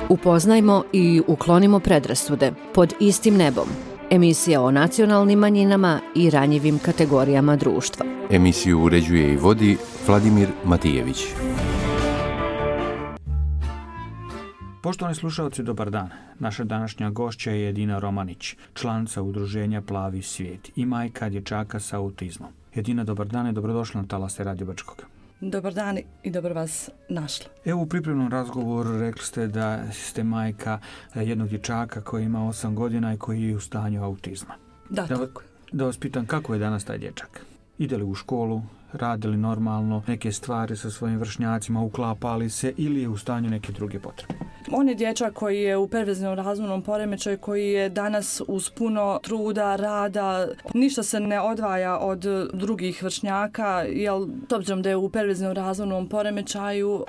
Upoznajmo i uklonimo predrasude pod istim nebom. Emisija o nacionalnim manjinama i ranjivim kategorijama društva. Emisiju uređuje i vodi Vladimir Matijević. Poštovani slušalci, dobar dan. Naša današnja gošća je Edina Romanić, članica udruženja Plavi svijet i majka dječaka sa autizmom. Edina, dobar dan i dobrodošla na talase Radio Brčkog. Dobar dan i dobro vas našla. Evo, u pripremnom razgovoru rekli ste da ste majka jednog dječaka koji ima 8 godina i koji je u stanju autizma. Tako. Da vas pitam, kako je danas taj dječak? Ide li u školu, radi li normalno neke stvari sa svojim vršnjacima, uklapa li se ili je u stanju neke druge potrebe? On je dječak koji je u perverzivnom razvojnom poremećaju, koji je danas uz puno truda, rada, ništa se ne odvaja od drugih vršnjaka, jer s obzirom da je u perverzivnom razvojnom poremećaju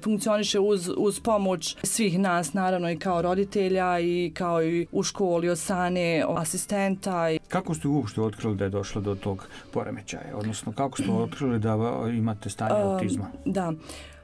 funkcioniše uz pomoć svih nas, naravno i kao roditelja i kao i u školi od strane asistenta. Kako ste uopšte otkrili da je došlo do tog poremećaja? Odnosno, kako ste otkrili da imate stanje autizma? Da.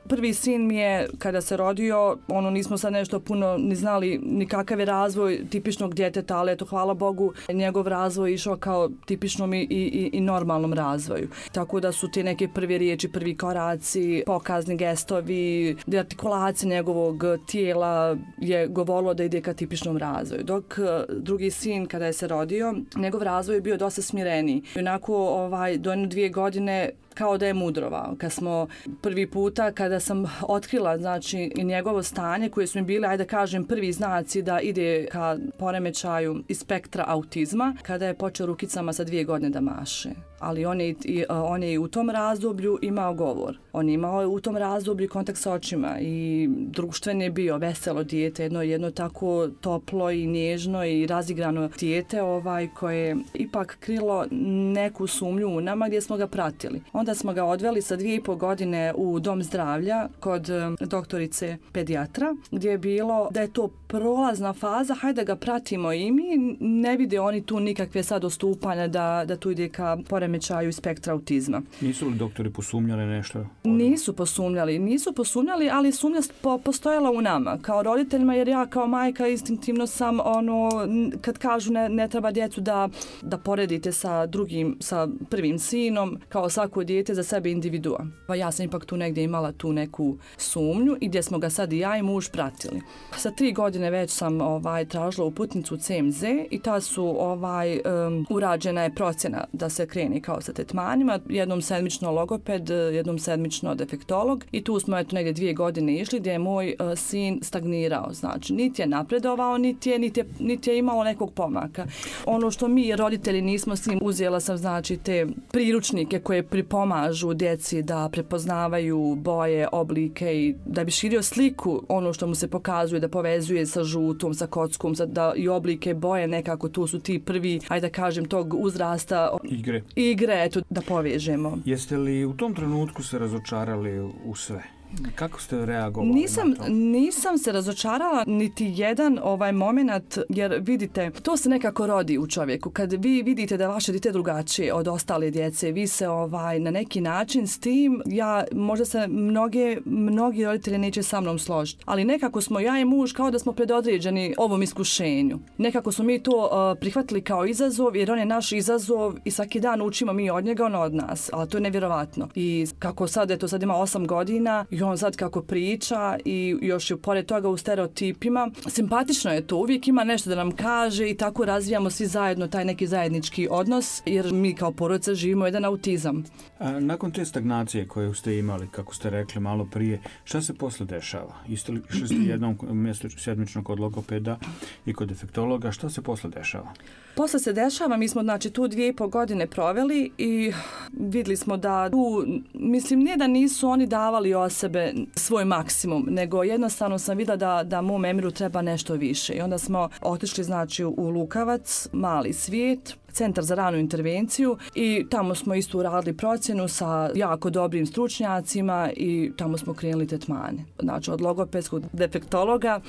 Prvi sin mi je, kada se rodio, nismo sad nešto puno ni znali ni kakav je razvoj tipičnog djeteta, ali eto, hvala Bogu, njegov razvoj išao kao tipičnom i normalnom razvoju. Tako da su te neke prve riječi, prvi koraci, pokazni gestovi, artikulacija njegovog tijela je govorilo da ide ka tipičnom razvoju. Dok drugi sin, kada je se rodio, njegov razvoj je bio dosta smireniji. I onako, do 2 godine kao da je mudrovao. Kad smo prvi puta, kada sam otkrila, znači, njegovo stanje, koje su mi bile, ajde kažem, prvi znaci da ide ka poremećaju iz spektra autizma, kada je počeo rukicama sa 2 godine da maše. Ali on je u tom razdoblju imao govor. On je imao u tom razdoblju kontakt s očima i društven je bio veselo dijete, jedno tako toplo i nježno i razigrano dijete koje je ipak krilo neku sumnju u nama gdje smo ga pratili. Onda smo ga odveli sa 2,5 godine u dom zdravlja kod doktorice pedijatra, gdje je bilo da je to prolazna faza, hajde da ga pratimo i mi, ne vide oni tu nikakve sad odstupanja da tu ide ka poremećaju spektra autizma. Nisu li doktori posumnjali nešto? Nisu posumnjali, ali sumnja postojala u nama, kao roditeljima, jer ja kao majka instinktivno sam kad kažu ne treba djecu da poredite sa prvim sinom, kao svako dijete za sebe individua. Pa ja sam ipak tu negdje imala tu neku sumnju i gdje smo ga sad i ja i muž pratili. Sa 3 godine već sam tražila uputnicu CMZ i ta su urađena je procjena da se kreni kao sa tretmanima, jednom sedmično logoped, jednom sedmično defektolog i tu smo negdje 2 godine išli gdje je moj sin stagnirao, znači niti je napredovao, niti je imalo nekog pomaka. Ono što mi roditelji nismo s njim, uzela sam znači te priručnike koje pripomažu djeci da prepoznavaju boje, oblike i da bi širio sliku ono što mu se pokazuje, da povezuje sa žutom, sa kockom, da i oblike boje nekako tu su ti prvi, ajde da kažem, tog uzrasta igre, eto, da povežemo. Jeste li u tom trenutku se razočarali u sve? Kako ste reagovali na to? Nisam se razočarala niti jedan moment, jer vidite, to se nekako rodi u čovjeku. Kad vi vidite da vaše dijete drugačije od ostale djece, vi se na neki način s tim, možda se mnogi roditelji neće sa mnom složiti, ali nekako smo ja i muž kao da smo predodređeni ovom iskušenju. Nekako smo mi to prihvatili kao izazov, jer on je naš izazov i svaki dan učimo mi od njega, on od nas, ali to je nevjerovatno. I kako sad ima 8 godina i on sad kako priča i još je pored toga u stereotipima. Simpatično je to, uvijek ima nešto da nam kaže i tako razvijamo svi zajedno taj neki zajednički odnos, jer mi kao porodica živimo jedan autizam. A nakon te stagnacije koju ste imali, kako ste rekli malo prije, šta se posle dešava? Išli ste jednom sedmično kod logopeda i kod defektologa, šta se posle dešava? Posle se dešava, mi smo znači tu 2,5 godine proveli i vidjeli smo da tu, mislim, ne da nisu oni davali o sebe svoj maksimum, nego jednostavno sam vidjela da mom Emiru treba nešto više. I onda smo otišli znači u Lukavac, mali svijet, centar za ranu intervenciju i tamo smo isto uradili procjenu sa jako dobrim stručnjacima i tamo smo krenuli tretmane. Znači od logopedskog defektologa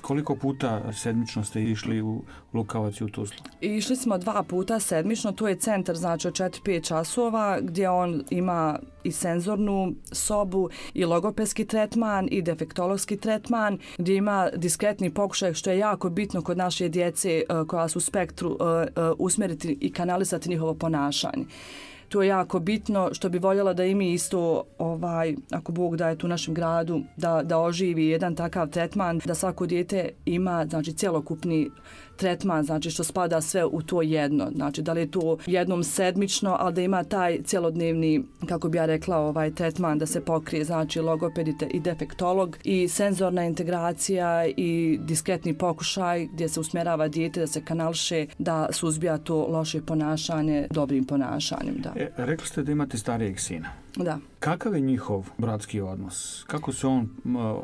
Koliko puta sedmično ste išli u Lukavac i u Tuzlu? Išli smo 2 puta sedmično, to je centar znači od 4-5 časova gdje on ima i senzornu sobu i logopedski tretman i defektologski tretman gdje ima diskretni pokušaj što je jako bitno kod naše djece koja su u spektru usmjeriti i kanalisati njihovo ponašanje. To je jako bitno što bi voljela da i mi isto, ako Bog daje tu u našem gradu, da oživi jedan takav tretman, da svako dijete ima znači cjelokupni tretman, znači što spada sve u to jedno. Znači da li je to jednom sedmično, ali da ima taj cjelodnevni, kako bi ja rekla, tretman da se pokrije, znači logoped i defektolog i senzorna integracija i diskretni pokušaj gdje se usmjerava dijete da se kanališe, da suzbija to loše ponašanje dobrim ponašanjem. Da. Rekli ste da imate starijeg sina. Da. Kakav je njihov bratski odnos? Kako su on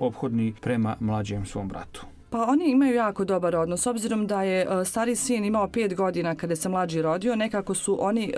ophodni prema mlađem svom bratu? Pa oni imaju jako dobar odnos. Obzirom da je stariji sin imao 5 godina kada se mlađi rodio, nekako su oni,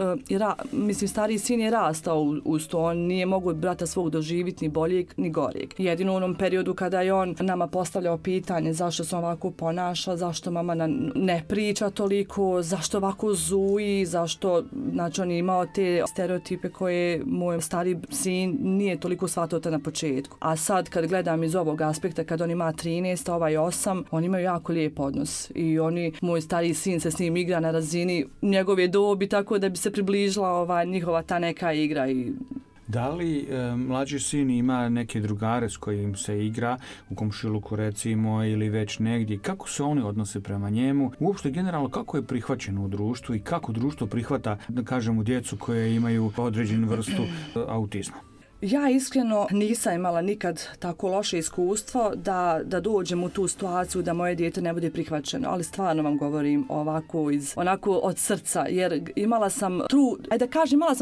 stariji sin je rastao uz to. On nije mogu brata svog doživjeti ni boljeg ni goreg. Jedino u onom periodu kada je on nama postavljao pitanje zašto se ovako ponaša, zašto mama ne priča toliko, zašto ovako zuji, zašto, znači on je imao te stereotipe koje moj stari sin nije toliko shvatio na početku. A sad kad gledam iz ovog aspekta, kad on ima 13, ovaj 8, oni imaju jako lijep odnos i moj stariji sin se s njim igra na razini njegove dobi tako da bi se približila njihova ta neka igra. Da li mlađi sin ima neke drugare s kojim se igra u komšiluku recimo ili već negdje? Kako se oni odnose prema njemu? Uopšte generalno kako je prihvaćeno u društvu i kako društvo prihvata, da kažemo, djecu koje imaju određenu vrstu autizma? Ja iskreno nisam imala nikad tako loše iskustvo da dođem u tu situaciju da moje dijete ne bude prihvaćeno, ali stvarno vam govorim onako od srca, jer imala sam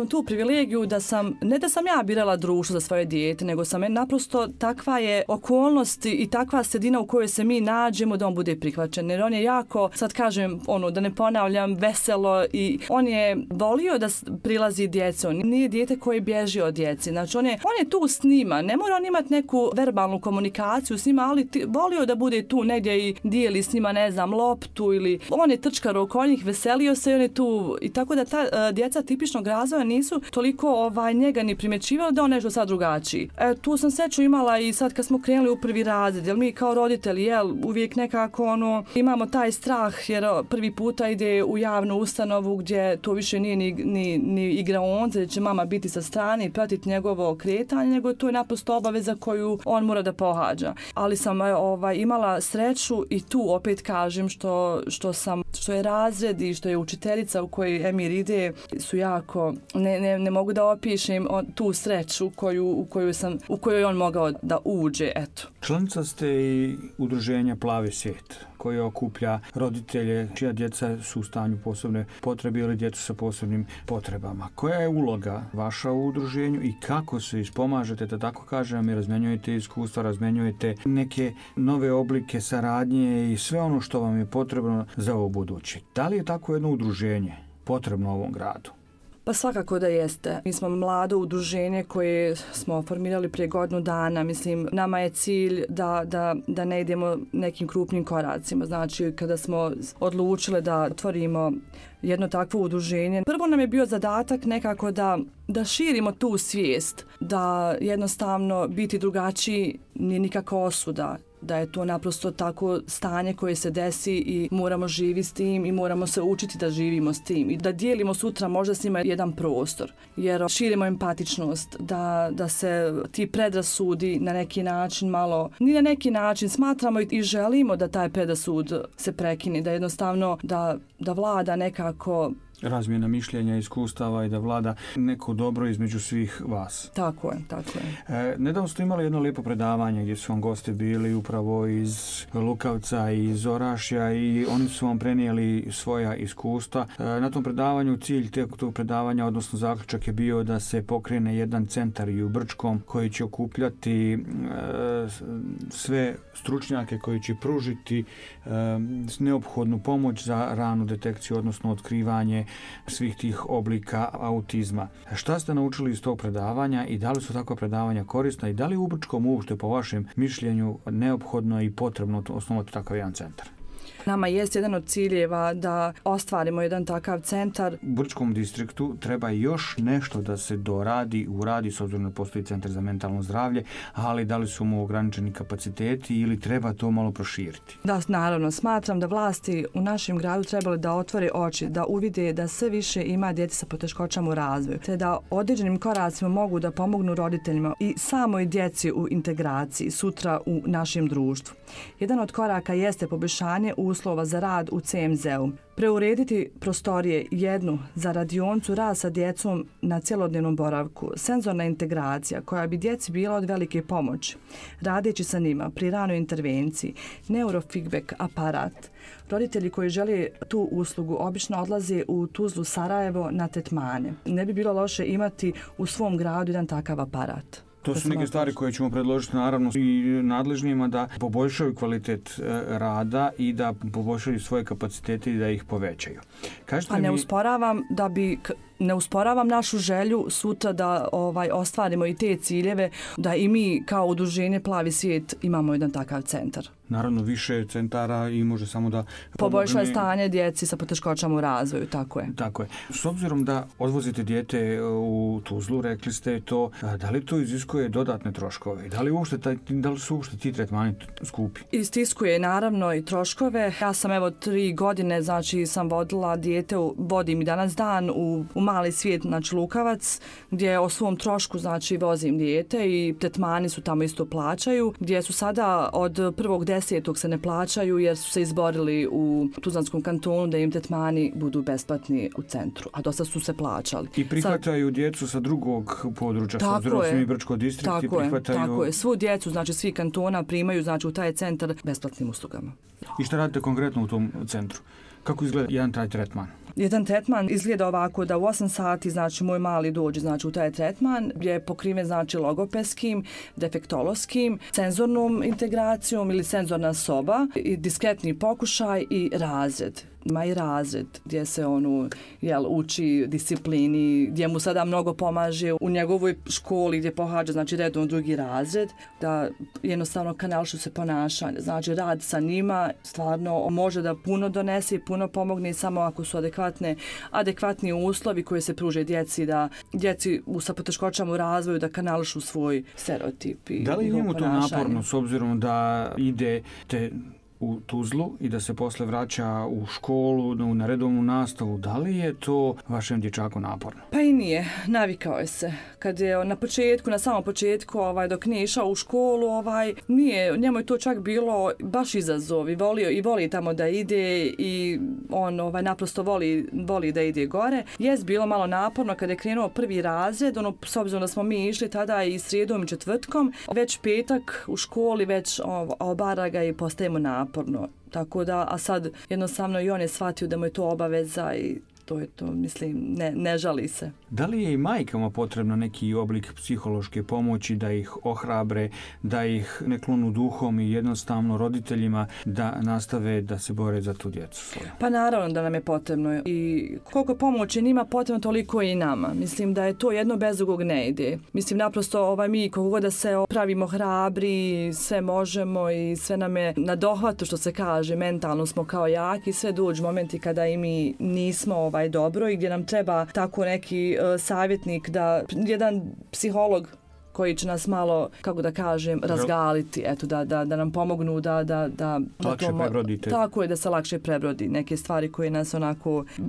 tu privilegiju da ne da sam ja birala društvo za svoje dijete, nego sam naprosto takva je okolnost i takva sredina u kojoj se mi nađemo da on bude prihvaćen, jer on je jako, sad kažem da ne ponavljam, veselo i on je volio da prilazi djeci, on nije dijete koje bježi od djeci, znači on je tu s njima, ne mora on imati neku verbalnu komunikaciju s njima, ali volio da bude tu negdje i dijeli s njima, loptu ili on je trčkar oko njih, veselio se i on je tu. I tako da ta djeca tipičnog razvoja nisu toliko njega ni primjećivali da on nešto sad drugačiji. Tu sam sreću imala i sad kad smo krenuli u prvi razred, jer mi kao roditelji, uvijek nekako imamo taj strah jer prvi puta ide u javnu ustanovu gdje to više nije ni igraonica, gdje će mama biti sa strane i pratiti njegovo kretanje, nego to je naprosto obaveza koju on mora da pohađa. Ali sam imala sreću i tu opet kažem što je razred i što je učiteljica u kojoj Emir ide su jako, ne mogu da opišem tu sreću u kojoj on mogao da uđe, eto. Članica ste i udruženja Plavi svijet, koje okuplja roditelje čija djeca su u stanju posebne potrebe ili djecu sa posebnim potrebama. Koja je uloga vaša u udruženju i kako se ispomažete, da tako kažem, i razmenjujete iskustva, razmenjujete neke nove oblike saradnje i sve ono što vam je potrebno za ovo buduće? Da li je tako jedno udruženje potrebno ovom gradu? Pa svakako da jeste. Mi smo mlado udruženje koje smo formirali prije godinu dana. Mislim, nama je cilj da ne idemo nekim krupnim koracima. Znači, kada smo odlučili da otvorimo jedno takvo udruženje, prvo nam je bio zadatak nekako da širimo tu svijest, da jednostavno biti drugačiji nije nikakva osuda, da je to naprosto tako stanje koje se desi i moramo živjeti s tim i moramo se učiti da živimo s tim i da dijelimo sutra možda s njima jedan prostor, jer širimo empatičnost, da se ti predrasudi na neki način malo, ni na neki način smatramo i želimo da taj predrasud se prekine, da jednostavno da vlada nekako razmjena mišljenja, iskustava i da vlada neko dobro između svih vas. Tako je. Nedavno ste imali jedno lijepo predavanje gdje su vam gosti bili upravo iz Lukavca i iz Orašja i oni su vam prenijeli svoja iskustva. Na tom predavanju cilj tog predavanja, odnosno zaključak je bio da se pokrene jedan centar i u Brčkom koji će okupljati sve stručnjake koji će pružiti neophodnu pomoć za ranu detekciju, odnosno otkrivanje svih tih oblika autizma. Šta ste naučili iz tog predavanja i da li su takva predavanja korisna i da li u Brčkom uopšte po vašem mišljenju neophodno i potrebno osnovati takav jedan centar? Nama jest jedan od ciljeva da ostvarimo jedan takav centar. U Brčkom distriktu treba još nešto da se uradi, s obzirom da postoji centar za mentalno zdravlje, ali da li su mu ograničeni kapaciteti ili treba to malo proširiti? Da, naravno. Smatram da vlasti u našem gradu trebali da otvore oči, da uvide da sve više ima djece sa poteškoćama u razvoju, te da određenim koracima mogu da pomognu roditeljima i samoj djeci u integraciji sutra u našem društvu. Jedan od koraka jeste poboljšanje uslova za rad u CMZ-u. Preurediti prostorije, jednu za radioncu, rad sa djecom na cjelodnevnom boravku, senzorna integracija koja bi djeci bila od velike pomoći, radeći sa njima pri ranoj intervenciji, neurofeedback aparat. Roditelji koji žele tu uslugu obično odlaze u Tuzlu, Sarajevo na tretmane. Ne bi bilo loše imati u svom gradu jedan takav aparat. To su neke stvari koje ćemo predložiti naravno i nadležnijima da poboljšaju kvalitet rada i da poboljšaju svoje kapacitete i da ih povećaju. A ne usporavam našu želju sutra da ostvarimo i te ciljeve, da i mi kao udruženje Plavi svijet imamo jedan takav centar. Naravno, više centara i može samo da poboljša stanje djeci sa poteškoćama u razvoju, tako je. Tako je. S obzirom da odvozite dijete u Tuzlu, rekli ste to, da li to iziskuje dodatne troškove? Da li su uopšte ti tretmani skupi? Istiskuje naravno i troškove. Ja sam 3 godine, sam vodila dijete, vodim i danas dan u Mali svijet, Lukavac, gdje o svom trošku, vozim dijete i tretmani su tamo isto plaćaju, gdje su sada od 1.10. se ne plaćaju jer su se izborili u Tuzlanskom kantonu da im tretmani budu besplatni u centru, a dosta su se plaćali. I prihvataju djecu sa drugog područja, s obzirom da su mi Brčko distrikt i prihvataju... Tako je, svu djecu, svi kantona primaju u taj centar besplatnim uslugama. I šta radite konkretno u tom centru? Kako izgleda jedan taj tretman? Jedan tretman izgleda ovako da u 8 sati moj mali dođe u taj tretman gdje je pokriven logopedskim, defektološkim, senzornom integracijom ili senzorna soba, i diskretni pokušaj i razred. Ima i razred gdje se uči disciplini, gdje mu sada mnogo pomaže u njegovoj školi gdje pohađa redom 2. razred, da jednostavno kanališu se ponašanje. Rad sa njima stvarno može da puno donese i puno pomogne samo ako su adekvatni uslovi koji se pruže djeci, da djeci sa poteškoćama u razvoju da kanališu svoj stereotip. Da li je njemu to naporno s obzirom da idete u Tuzlu i da se posle vraća u školu, na redovnu nastavu? Da li je to vašem dječaku naporno? Pa i nije, navikao je se. Kad je na samom početku, dok nije išao u školu, njemu je to čak bilo baš izazov i voli tamo da ide i on naprosto voli da ide gore. Jest bilo malo naporno kad je krenuo 1. razred, s obzirom da smo mi išli tada i srijedom i četvrtkom, već petak u školi već obara ga i postajemo naporno. Tako da, a sad jednostavno i on je shvatio da mu je to obaveza i to je to, ne žali se. Da li je i majkama potrebno neki oblik psihološke pomoći da ih ohrabre, da ih ne klonu duhom i jednostavno roditeljima da nastave da se bore za tu djecu svoju? Pa naravno da nam je potrebno i koliko pomoći njima potrebno, toliko i nama. Mislim da je to jedno bez drugog ne ide. Naprosto mi koliko god da se pravimo hrabri, sve možemo i sve nam je na dohvatu, što se kaže, mentalno smo kao jaki, sve dođu momenti kada i mi nismo dobro i gdje nam treba tako neki savjetnik, jedan psiholog koji će nas malo, kako da kažem, razgaliti, da nam pomognu da lakše prebrodite. Tako je, da se lakše prebrodi neke stvari koje nas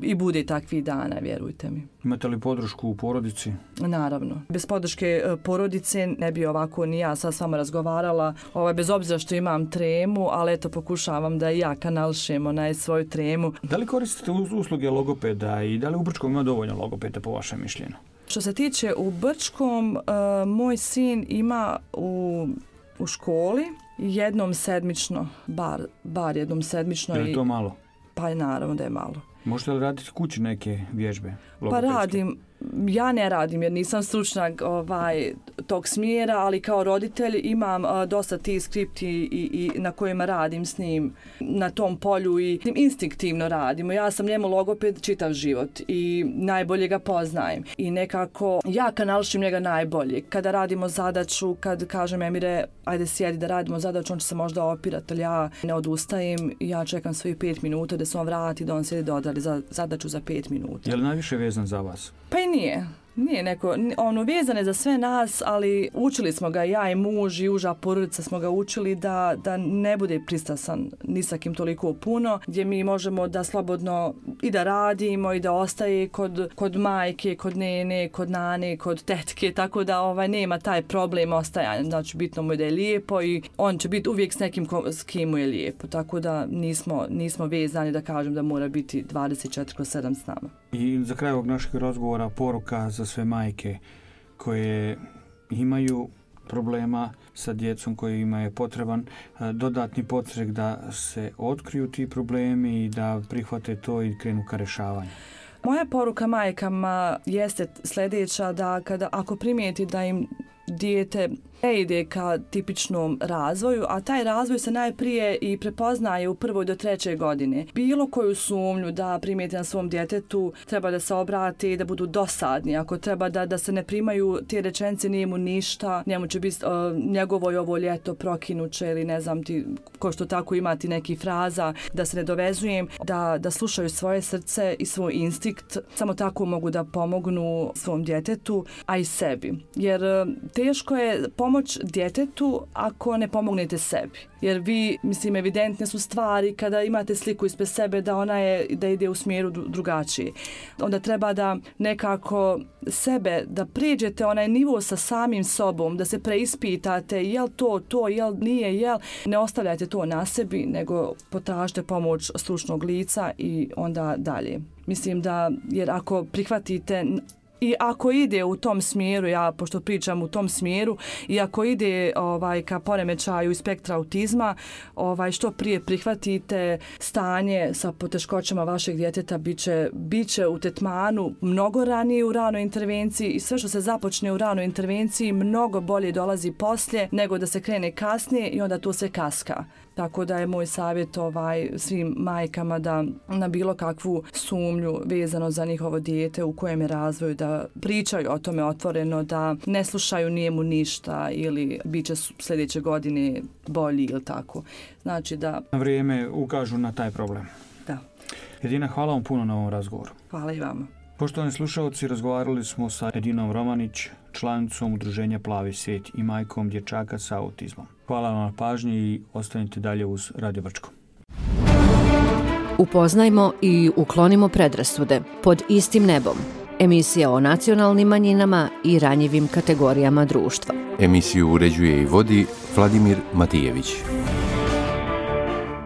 i bude takvih dana, vjerujte mi. Imate li podršku u porodici? Naravno. Bez podrške porodice ne bi ovako ni ja sad s vama razgovarala, bez obzira što imam tremu, ali pokušavam da i ja kanališem svoju tremu. Da li koristite usluge logopeda i da li u Brčkom ima dovoljno logopeda po vašem mišljenju? Što se tiče u Brčkom, moj sin ima u školi jednom sedmično, bar jednom sedmično. Je li to malo? Pa naravno da je malo. Možete li raditi kući neke vježbe logopedske? Pa ja ne radim jer nisam stručnjak tog smjera, ali kao roditelj imam dosta tih skripti i na kojima radim s njim na tom polju i instinktivno radimo. Ja sam njemu logoped čitav život i najbolje ga poznajem i nekako ja kanališim njega najbolje. Kada radimo zadaću, kad kažem Emire, ajde sjedi da radimo zadaću, on će se možda opirati, ali ja ne odustajem, ja čekam svojih 5 minuta da se on vrati, da on sjedi da odradi zadaću za 5 minuta. Je li najviše vezan za vas? Pa i nije. Nije neko, vezan je za sve nas, ali učili smo ga, ja i muž i uža porodica smo ga učili da ne bude pristrasan ni sa kim toliko puno, gdje mi možemo da slobodno i da radimo i da ostaje kod majke, kod nene, kod nane, kod tetke, tako da nema taj problem ostajanja. Znači bitno mu je da je lijepo i on će biti uvijek s nekim s kim mu je lijepo, tako da nismo vezani da kažem da mora biti 24/7 s nama. I za kraj ovog našeg razgovora poruka za sve majke koje imaju problema sa djecom kojima je potreban dodatni podstrek da se otkriju ti problemi i da prihvate to i krenu ka rješavanju. Moja poruka majkama jeste sljedeća, da ako primijeti da im dijete ne ide ka tipičnom razvoju, a taj razvoj se najprije i prepoznaje u 1. do 3. godine. Bilo koju sumnju da primijeti na svom djetetu, treba da se obrati i da budu dosadni. Ako treba da se ne primaju te rečenice, nije mu ništa, njemu će biti njegovo je ovo ljeto prokinuće ili ne znam ti, ko što tako imati neki fraza, da se ne dovezujem, da slušaju svoje srce i svoj instinkt. Samo tako mogu da pomognu svom djetetu, a i sebi. Jer teško je pomoć djetetu ako ne pomognete sebi. Jer vi, evidentne su stvari kada imate sliku ispred sebe da ide u smjeru drugačije. Onda treba da nekako sebe, da prijeđete onaj nivo sa samim sobom, da se preispitate jel to, jel nije, jel. Ne ostavljajte to na sebi, nego potražite pomoć stručnog lica i onda dalje. Mislim da, jer ako prihvatite i ako ide u tom smjeru, ja pošto pričam u tom smjeru, i ako ide ka poremećaju i spektra autizma, što prije prihvatite stanje sa poteškoćama vašeg djeteta, bit će u tretmanu mnogo ranije u ranoj intervenciji i sve što se započne u ranoj intervenciji mnogo bolje dolazi poslije nego da se krene kasnije i onda to se kaska. Tako da je moj savjet svim majkama da na bilo kakvu sumnju vezano za njihovo dijete u kojem je razvoju da pričaju o tome otvoreno, da ne slušaju nije mu ništa ili bit će sljedeće godine bolji ili tako. Znači da na vrijeme ukažu na taj problem. Da. Edina, hvala vam puno na ovom razgovoru. Hvala i vama. Poštovani slušalci, razgovarali smo sa Edinom Romanić, članicom udruženja Plavi svijet i majkom dječaka sa autizmom. Hvala vam na pažnji i ostanite dalje uz Radio Brčko. Upoznajmo i uklonimo predrasude pod istim nebom. Emisija o nacionalnim manjinama i ranjivim kategorijama društva. Emisiju uređuje i vodi Vladimir Matijević.